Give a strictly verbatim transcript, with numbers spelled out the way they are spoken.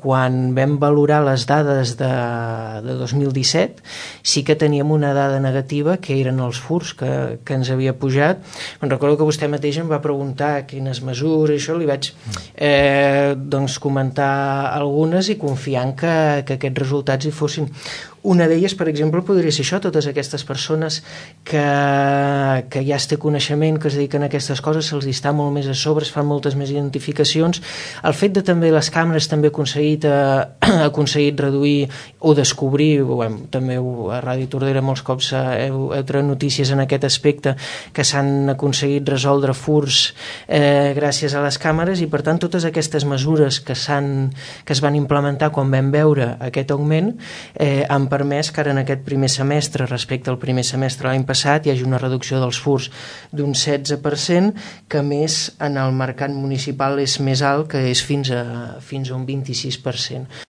quan vam valorar les dades de, de dos mil disset, sí que teníem una dada negativa, que eren els furts que, que ens havia pujat. Em recordo que vostè mateix em va preguntar quines mesures, això li vaig eh, doncs comentar algunes i confiant que, que aquests resultats hi fossin. Una d'elles, per exemple, podria ser això, totes aquestes persones que, que ja es té coneixement, que es dediquen a aquestes coses, se'ls està molt més a sobre, es fan moltes més identificacions. El fet de també les càmeres també ha aconseguit, eh, ha aconseguit reduir o descobrir, bueno, també a Ràdio Tordera molts cops heu, heu tret notícies en aquest aspecte, que s'han aconseguit resoldre furts eh, gràcies a les càmeres, i per tant totes aquestes mesures que, s'han, que es van implementar quan vam veure aquest augment eh, han permès que ara en aquest primer semestre, respecte al primer semestre l'any passat, hi hagi una reducció dels furts d'un setze per cent, que a més en el mercat municipal és més alt, que és fins a, fins a un vint-i-sis per cent.